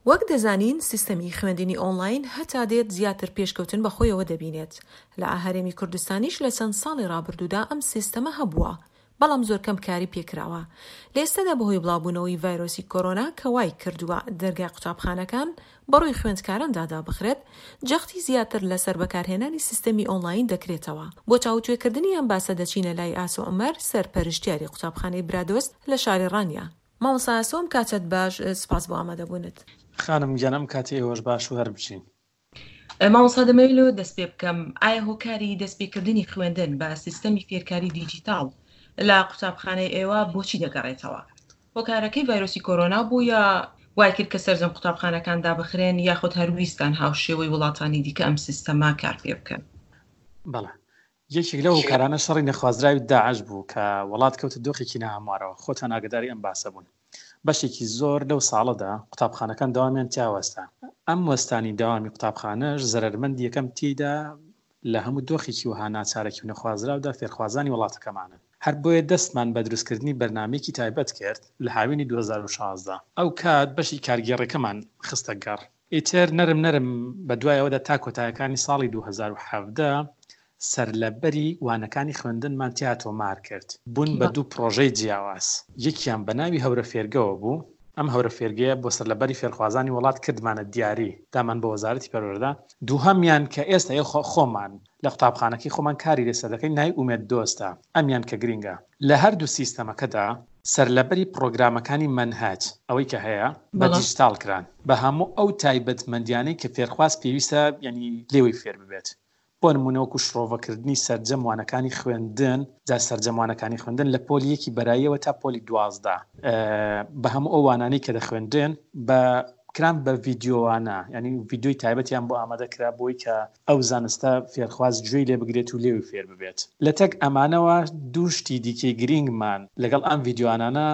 وەک دەزانین سیستەمی خوێندنی ئۆنڵاین هەتا دێت زیاتر پێشکەوتن بە خۆیەوە دەبینێت، لە هەرێمی کوردستانیش لە چەند ساڵی ڕابردوودا ئەم سیستەمە هەبووە، بەڵام زۆر کەم کاری پێکراوە. لە ئێستادا بەهۆی بڵاوبوونەوەی ڤایرۆسی کۆرۆنا کە وای کردووە دەرگای قوتابخانەکان بەڕووی خوێندکاراندا دابخرێت، جەختی زیاتر لەسەر بەکارهێنانی سیستەمی ئۆنڵاین دەکرێتەوە. بۆ تاوتوێکردنی ئەم باسە دەچینە لای ئاسۆ عومەر، سەرپەرشتیاری قوتابخانەی برادۆست لە شاری ڕانیە. مامۆستا ئاسۆ ئەم کاتەت باش، سوپاس بۆ ئامادەبوونت. خانم گیان ئەم کاتی ئێوەش باش و هەر بژین. مامۆستا دەمەوێت لەوە دەست پێ بکەم ئایا هۆکاری دەست پێکردنی خوێندن بە سیستەمی فێرکاری دیجیتاڵ لە قوتابخانەی ئێوە بۆچی دەگەڕێتەوە؟ هۆکارەکەی ڤایرۆسی کۆرۆنا بوو یا وای کرد کە سەرجەم قوتابخانەکان دابخرێن یاخود هەر ویستتان هاوشێوەی وڵاتانی دیکە ئەم سیستەمە کار پێ بکەن؟ بەڵێ یەکێک لەو هۆکارانە شەڕی نەخوازراوی داعش بوو کە وڵات کەوتە دۆخێکی ناهەموارەوە، خۆتان ئاگاداری ئەم باسە بوون. بەشێکی زۆر لەو ساڵەدا قوتابخانەکان دەوامیان تیا وەستا. ئەم وەستانی دەوامی قوتابخانەش زەرەرمەندی یەکەم تێیدا لە هەموو دۆخێکی وەها ناچارەکی و نەخوازراودا فێرخوازانی وڵاتەکەمانن. هەر بۆیە دەستمان بە دروستکردنی بەرنامەیەکی تایبەت کرد لە هاوینی 2016. ئەو کات بەشی کارگێڕیەکەمان خستە گەڕ. ئیتر نەرم نەرم بە دوای ئەوەدا تا کۆتایەکانی ساڵی 2017 سەرلەبەری وانەکانی خوێندنمان تیا تۆمار کرد. بوون بە دوو پڕۆژەی جیاواز. یەکیان بە ناوی هەورە فێرگەوە بوو. ئەم هەورە فێرگەیە بۆ سەرلەبەری فێرخوازانی وڵات کردمانە دیاری، دامان بە وەزارەتی پەروەردە. دووهەمیان کە ئێستا خۆمان لە قوتابخانەکەی خۆمان کاری لەسەر دەکەین ناوی ئومێد دۆستە. ئەمیان کە گرینگە لە هەردوو سیستەمەکەدا سەرلەبەری پڕۆگرامەکانی مەنهەج ئەوەی کە هەیە بە دیجیتاڵ کران بە هەموو ئەو تایبەتمەندیانەی کە فێرخواز پێویستە یانی لێوەی فێر ببێت. بۆ نموونە وەکو شڕۆڤەکردنی سەرجەم وانەکانی خوێندن، جا سەرجەم وانەکانی خوێندن لە پۆلی یەکی بەراییەوە تا پۆلی 12 بە هەموو ئەو وانانەی کە دەخوێندرێن بە کران بە ڤیدیۆوانە یعنی ڤیدیۆی تایبەتیان بۆ ئامادە کرا بۆی کە ئەو زانستە فێرخواز گوێی لێ بگرێت و لێوی فێر ببێت. لەتەک ئەمانەوە دوو شتی دیکەی گرینگمان لەگەڵ ئەم ڤیدیۆانانە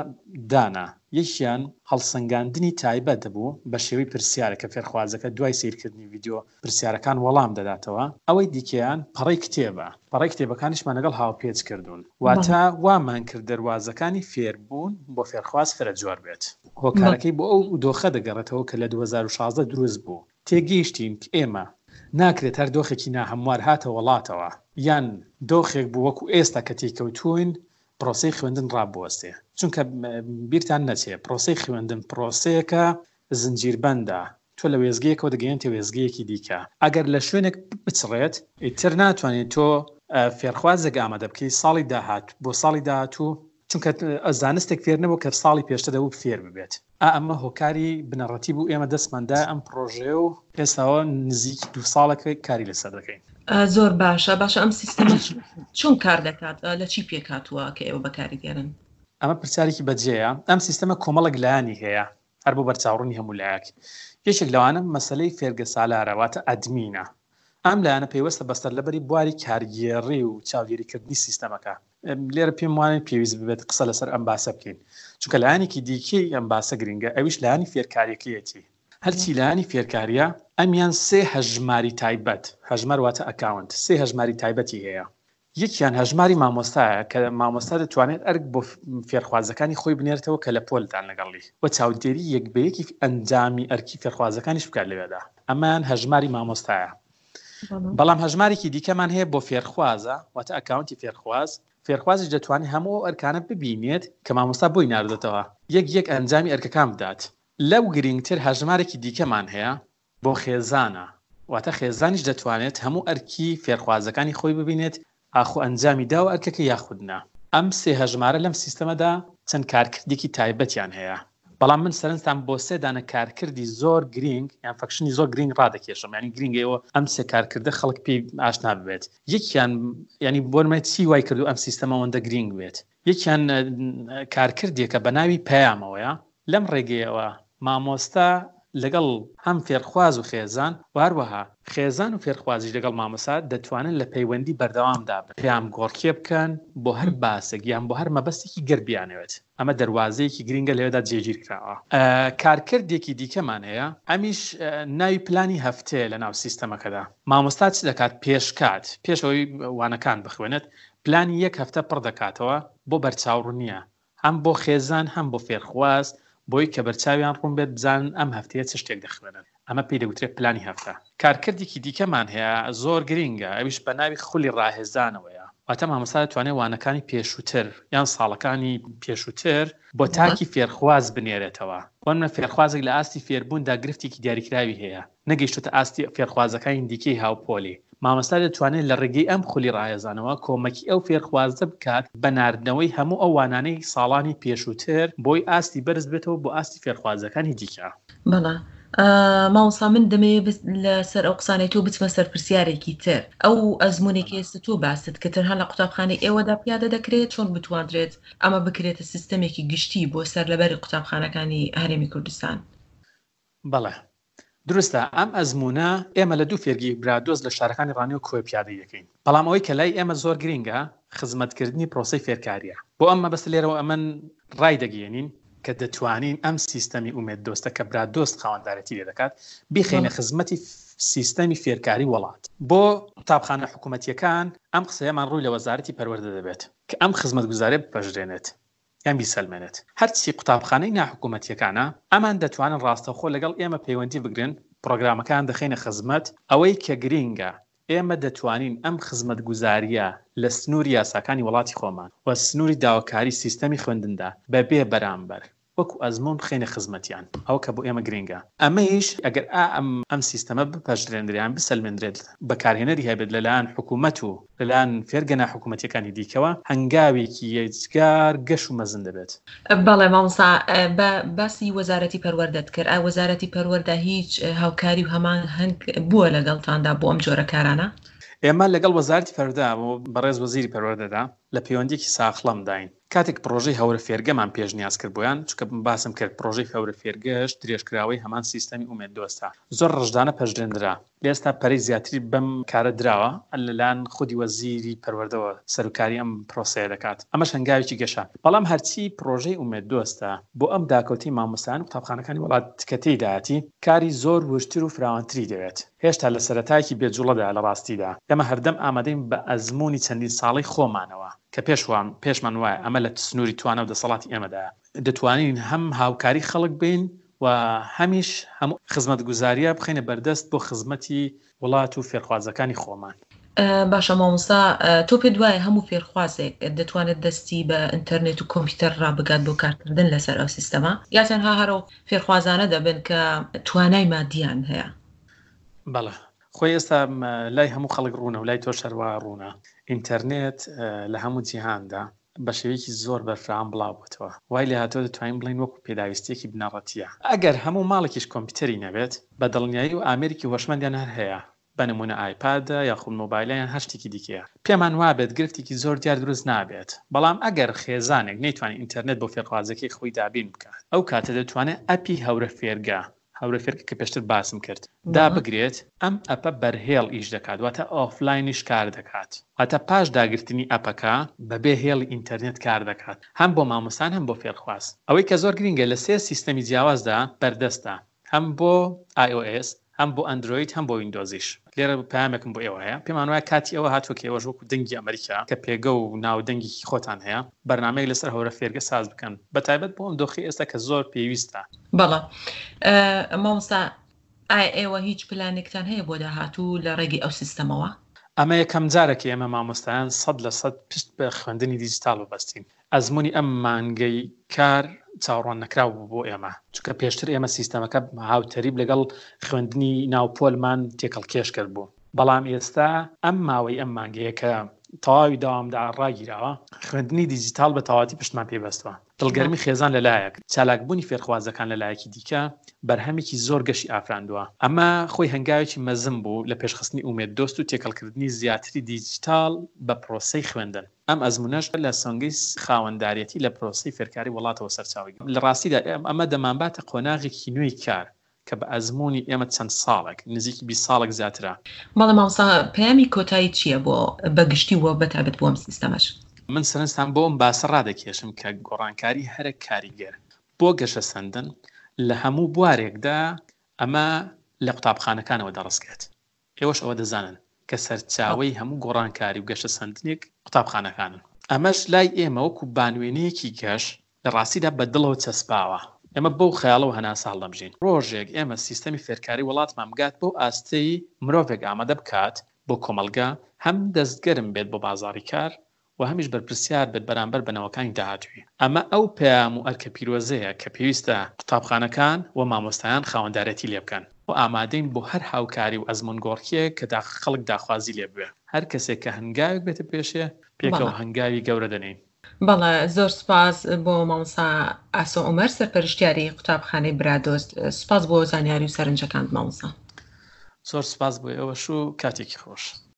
دانا، یەکیان هەڵسەنگاندنی تایبەت بوو بە شێوەی پرسیارە کە فێرخوازەکە دوای سەیرکردنی ڤیدیۆ پرسیارەکان وەڵام دەداتەوە، ئەوەی دیکەیان پەڕەی کتێبە، پەڕەی کتێبەکانیشمان لەگەڵ هاوپێچ کردوون، واتە وامان کرد دەروازەکانی فێربوون بۆ فێرخواز فرەجۆر بێت. هۆکارەکەی بۆ ئەو دۆخە دەگەڕێتەوە کە لە 2016 دروست بوو، تێگەیشتین کە ئێمە ناکرێت هەر دۆخێکی ناهەموار هاتە وەڵاتەوە، یان دۆخێک بوو وەکو ئێستا کە تێیکەوتووین پرۆسەی خوێندن ڕابوەستێ، چونکە بیرتان نەچێ پرۆسەی خوێندن پرۆسەیەکە زنجیربەندە، تۆ لە وێستگەیەکەوە دەگەیەنتە وێستگەیەکی دیکە، ئەگەر لە شوێنێک بچڕێت، ئیتر ناتوانیت تۆ فێرخوازێک ئامادە بکەیت ساڵی داهاتوو بۆ ساڵی داهاتوو، چونکە زانستێک فێر نەبوو کە ساڵی پێشتر دەبوو فێر ببێت. ئا ئەمە هۆکاری بنەڕەتی بوو ئێمە دەستمان دایە ئەم پڕۆژەیە و ئێستاوە نزیکی دوو ساڵێکە کاری لەسەر دەکەین. زۆر باشە، باشە ئەم سیستەمە چۆن کار دەکات، لە چی پێکهاتووە کە ئێوە بەکاری دێنن؟ ئەمە پرسیارێکی بەجێیە. ئەم سیستەمە کۆمەڵێک لایەنی هەیە، هەر بۆ بەرچاوڕوونی هەموو لایەک. یەکێک لەوانە مەسەلەی فێرگە سالارە واتە ئەدمینە. ئەم لایەنە پەیوەستە بە سەرلەبەری بواری کارگێڕی و چاودێریکردنی سیستەمەکە. لێرە پێم وانیە پێویست ببێت قسە لەسەر ئەم باسە بکەین، چونکە لایەنێکی دیکەی ئەم باسە گرنگە، ئەویش لایەنی فێرکارییەکەیەتی. هەرچی لایەنی فێرکارییە، ئەمیان سێ هەژماری تایبەت، هەژمار واتە ئەکاونت، سێ هەژماری تایبەتی هەیە. یەکیان هەژماری مامۆستایە کە مامۆستا دەتوانێت ئەرک بۆ فێرخوازەکانی خۆی بنێرتەوە کە لە پۆلدان لەگەڵی و چاودێری یەک بە یەکی ئەنجامی ئەرکی فێرخوازەکانیش بکات لەوێدا. ئەمەیان هەژماری مامۆستایە. بەڵام هەژمارێکی دیکەمان هەیە بۆ فێرخوازە، واتە ئەکاونتی فێرخواز، فێرخوازیش دەتوانێت هەموو ئەو ئەرکانە ببینێت کە مامۆستا بۆی ناردۆتەوە، یەک یەک ئەنجامی ئەرکەکان بدات. لەو گرینگتر هەژمارێکی دیکەمان هەیە بۆ خێزانە، واتە خێزانیش دەتوانێت هەموو ئەرکی فێرخوازەکانی خۆی ببینێت ئاخۆ ئەنجامی داوە ئەرکەکە یاخود نا. ئەم سێ هەژمارە لەم سیستەمەدا چەند کارکردێکی تایبەتیان هەیە، بەڵام من سەرنجتان بۆ سێ دانە کارکردی زۆر گرینگ یان function ی زۆر گرینگ ڕادەکێشم، یانی گرینگە ئێوە ئەم سێ کارکردە خەڵک پێی ئاشنا ببێت. یەکیان یانی بۆ نمونە چی وای کردووە ئەم سیستەمە ئەوەندە گرینگ بێت؟ یەکیان کارکردێکە بە ناوی پەیامەوەیە، لەم ڕێگەیەوە مامۆستا لەگەڵ هەم فێرخواز و خێزان و هەروەها خێزان و فێرخوازیش لەگەڵ مامۆستا دەتوانن لە پەیوەندی بەردەوامدا بن، پەیام گۆڕکێ بکەن بۆ هەر باسێک یان بۆ هەر مەبەستێکی گەر بیانەوێت. ئەمە دەروازەیەکی گرینگە لەوێدا جێگیر کراوە. کارکردێکی دیکەمان هەیە ئەمیش ناوی پلانی هەفتەیە لەناو سیستەمەکەدا. مامۆستا چ دەکات پێشکات، پێش ئەوەی وانەکان بخوێنێت، پلانی یەک هەفتە پڕ دەکاتەوە بۆ بەرچاوڕوونییە هەم بۆ خێزان هەم بۆ فێرخواز. بۆی کە بەرچاویان ڕوون بێت بزانن ئەم هەفتەیە چ شتێک دەخوێنن. ئەمە پێی دەگوترێت پلانی هەفتە. کارکردێکی دیکەمان هەیە زۆر گرینگە ئەویش بە ناوی خولی ڕاهێزانەوەیە. واتە مامۆستا دەتوانێت وانەکانی پێشووتر یان ساڵەکانی پێشووتر بۆ تاکی فێرخواز بنێرێتەوە. بۆ نمونە فێرخوازێک لە ئاستی فێربووندا گرفتێکی دیاریکراوی هەیە، نەگەیشتۆتە ئاستی فێرخوازەکانی دیکەی هاوپۆلی، مامۆستا دەتوانێت لە ڕێگەی ئەم خولی ڕاهێزانەوە کۆمەکی ئەو فێرخوازە بکات بە ناردنەوەی هەموو ئەو وانانەی ساڵانی پێشووتر بۆی ئاستی بەرز بێتەوە بۆ ئاستی فێرخوازەکانی دیکە. بەڵێ مامۆستا من دەمەوێت لەسەر ئەو قسانەی تۆ بچمە سەر پرسیارێکی تر ئەو ئەزموونێک ئێستا تۆ باست کە تەنها لە قوتابخانەی ئێوەدا پیادە دەکرێت چۆن بتواندرێت ئەمە بکرێتە سیستەمێکی گشتی بۆ سەرلەبەری قوتابخانەکانی هەرێمی کوردستان؟ بەڵێ دروستە ئەم ئەزموونە ئێمە لە دوو فێرگەی برادۆست لە شارەکانی ڕانیە و کۆیە پیادەی دەکەین، بەڵام ئەوەی کە لای ئێمە زۆر گرینگە خزمەتکردنی پرۆسەی فێرکارییە. بۆ ئەم مەبەستە لێرەوە ئەمن ڕایدەگەیەنین کە دەتوانین ئەم سیستەمی ئومێد دۆستە کە برادۆست خاوەندارێتی لێ دەکات بیخەینە خزمەتی سیستەمی فێرکاری وەڵات. بۆ قوتابخانە حکوومەتییەکان ئەم قسەیەمان ڕووی لە وەزارەتی پەروەردە دەبێت کە ئەم خزمەتگوزارییە بپەژرێنێت. یان بیسەلمێنێت. هەرچی قوتابخانەی ناحکومەتیەکانە، ئەمان دەتوانن ڕاستەوخۆ لەگەڵ ئێمە پەیوەندی بگرن، پڕۆگرامەکان دەخەینە خزمەت، ئەوەی کە گرینگە ئێمە دەتوانین ئەم خزمەتگوزاریە لە سنوری یاساکانی وەڵاتی خۆمان و سنوری داواکاری سیستەمی خوێندندا بە بێ بەرامبەر وەکو ئەزموون بخەینە خزمەتیان، ئەوە کە بۆ ئێمە گرینگە. ئەمەیش ئەگەر ئا ئەم ئەم سیستەمە بپەژرێندرێ یان بسەلمێندرێت بەکارهێنەری هەبێت لەلایەن حکوومەت و لەلایەن فێرگە ناحکوومەتییەکانی دیکەوە هەنگاوێکی یەجگار گەش و مەزن دەبێت. بەڵێ مامۆستا بە باسی وەزارەتی پەروەردەت کرد ئایا وەزارەتی پەروەردە هیچ هاوکاری و هەماهەنگ بووە لەگەڵتاندا بۆ ئەم جۆرە کارانە؟ ئێمە لەگەڵ وەزارەتی پەروەردە و بەڕێز وەزیری پەروەردەدا لە پەیوەندییەکی ساخڵەمداین. کاتێک پڕۆژەی هەورە فێرگەمان پێشنیاز کرد بۆیان، چونکە باسم کرد پڕۆژەی هەورە فێرگەش درێژکراوەی هەمان سیستەمی ئومێد دۆستە، زۆر ڕژدانە پەژرێندرا، ئێستا پەرەی زیاتری بەم کارە دراوە، لەلایەن خودی وەزیری پەروەردەوە سەروکاری ئەم پرۆسەیە دەکات، ئەمەش هەنگاوێکی گەشە، بەڵام هەرچی پڕۆژەی ئومێد دۆستە بۆ ئەم داکەوتەی مامۆستایان و قوتابخانەکانی وڵات کە تێیدایەتی، کاری زۆر وردتر و فراوانتری دەوێت، هێشتا لە سەرەتایەکی بێ جوڵەدایە لە ڕاستیدا، ئێمە هەردەم ئامادەین بە ئەزموونی چەندین ساڵەی خۆمانەوە، کە پێش پێشمان وایە ئەمە لە سنووری توانا و دەسەڵاتی ئێمەدایە، دەتوانین هەم هاوکاری خەڵک بین و هەمیش هەموو خزمەتگوزارییە بخەینە بەردەست بۆ خزمەتی وڵات و فێرخوازەکانی خۆمان. باشە مامۆستا تۆ پێت وایە هەموو فێرخوازێک دەتوانێت دەستی بە ئینتەرنێت و کۆمپیوتەر ڕابگات بۆ کارکردن لەسەر ئەو سیستەمە یا تەنها هەر ئەو فێرخوازانە دەبن کە توانای مادیان هەیە؟ بەڵێ خۆی ئێستا لای هەموو خەڵک ڕوونە و لای تۆش هەروا ڕوونە ئینتەرنێت لە هەموو جیهاندا بە شێوەیەکی زۆر بەرفراوان بڵاو بۆتەوە وای لێهاتووە دەتوانین بڵێین وەکو پێداویستییەکی بنەڕەتییە ئەگەر هەموو ماڵێکیش کۆمپیوتەری نەبێت بە دڵنیایی و ئامێرێکی هۆشمەندیان هەر هەیە بە نموونە ئایپادە یاخود مۆبایلە یان هەر شتێکی دیکەیە پێمان وابێت گرفتێکی زۆر دیار دروست نابێت بەڵام ئەگەر خێزانێک نەیتوانی ئینتەرنێت بۆ فێرخوازەکەی خۆی دابین بکات ئەو کاتە دەتوانێت ئەپی هەورە فێرگە هەورە فێرگە کە پێشتر باسم کرد دابگرێت، ئەم ئەپە بەرهێڵ ئیش دەکات واتە ئۆفلاینیش کار دەکات واتە پاش داگرتنی ئەپەکە بەبێ هێڵی ئینتەرنێت کار دەکات هەم بۆ مامۆستان هەم بۆ فێرخواز ئەوەی کە زۆر گرینگە لە سێ سیستەمی جیاوازدا بەردەستە هەم بۆ iOS هەم بۆ ئەندرۆید هەم بۆ ویندۆزیش. لێرە پەیامێکم بۆ ئێوە هەیە، پێمان وایە کاتی ئەوە هاتووە کە ئێوەش وەکو دەنگی ئەمریکا کە پێگە و ناو و دەنگێکی خۆتان هەیە، بەرنامەیەک لەسەر هەورە فێرگە ساز بکەن، بەتایبەت بۆ ئەم دۆخەی ئێستا کە زۆر پێویستە. بەڵێ مامۆستا ئایا ئێوە هیچ پلانێکتان هەیە بۆ داهاتوو لە ڕێگەی ئەو سیستەمەوە؟ ئەمە یەکەم جارە کە ئێمە مامۆستایان 100% پشت بە خوێندنی دیجیتاڵ ببەستین. ئەزموونی ئەم مانگەی کار چاوەڕوان نەکراو بوو بۆ ئێمە، چونکە پێشتر ئێمە سیستەمەکە هاوتەریب لەگەڵ خوێندنی ناو پۆلمان تێکەڵکێش کردبوو، بەڵام ئێستا ئەم ماوەی ئەم مانگەیە کە تەواوی دەوامدا ڕاگیراوە، خوێندنی دیجیتاڵ بە تەواوەتی پشتمان پێی بەستووە. دڵگەرمی خێزان لە لایەک، چالاکبوونی فێرخوازەکان لە لایەکی دیکە، بەرهەمێکی زۆر گەشی ئافراندووە. ئەمە خۆی هەنگاوێکی مەزن بوو لە پێشخستنی ئومێد دۆست و تێکەڵکردنی زیاتری دیجیتاڵ بە پرۆسەی خوێندن. ئەم ئەزموونەش لە سۆنگەی خاوەنداریەتی لە پرۆسەی فێرکاری وڵاتەوە سەرچاوەی گرت. لە ڕاستیدا ئەمە دەمانباتە قۆناغێکی نوێی کار کە بە ئەزموونی ئێمە چەند ساڵێک، نزیکی 20 ساڵێک زیاترە. بەڵێ مامۆستا پەیامی کۆتایی چییە بۆ بە گشتی و بە تایبەت بۆ ئەم سیستەمەش؟ من سەرنجتان بۆ ئەم باسە ڕادەکێشم کە گۆڕانکاری هەرە کاریگەر بۆ گەشەسەندن لە هەموو بوارێکدا ئەمە لە قوتابخانەکانەوە دەڕسکێت. ئێوەش ئەوە دەزانن کە سەرچاوەی هەموو گۆڕانکاری و گەشەسەندنێک قوتابخانەکانن. ئەمەش لای ئێمە وەکو بانوێنەیەکی گەش لە ڕاستیدا بە دڵەوە چەسپاوە. ئێمە بەو خەیاڵەوە هەناسە هەڵدەمژین ڕۆژێک ئێمە سیستەمی فێرکاری وڵاتمان بگات بەو ئاستەی مرۆڤێک ئامادە بکات بۆ کۆمەڵگە هەم دەستگەرم بێت بۆ بازاڕی کار و هەمیش بەرپرسیار بێت بەرامبەر بە نەوەکانی داهاتووی. ئەمە ئەو پەیام و ئەرکە پیرۆزەیە کە پێویستە قوتابخانەکان و مامۆستایان خاوەندارێتی لێ بکەن و ئامادەین بۆ هەر هاوکاری و ئەزموونگۆڕکێیەک کە خەڵک داخوازی لێ بوێ. هەر کەسێک کە هەنگاوێک بێتە پێشێ، پێکەوە هەنگاوی گەورە دەنێین. بەڵێ زۆر سوپاس بۆ مامۆستا ئاسۆ عومەر سەرپەرشتیاری قوتابخانەی برادۆست سوپاس بۆ زانیاری و سەرنجەکانت مامۆستا. زۆر سوپاس بۆ ئێوەش و کاتێکی خۆش.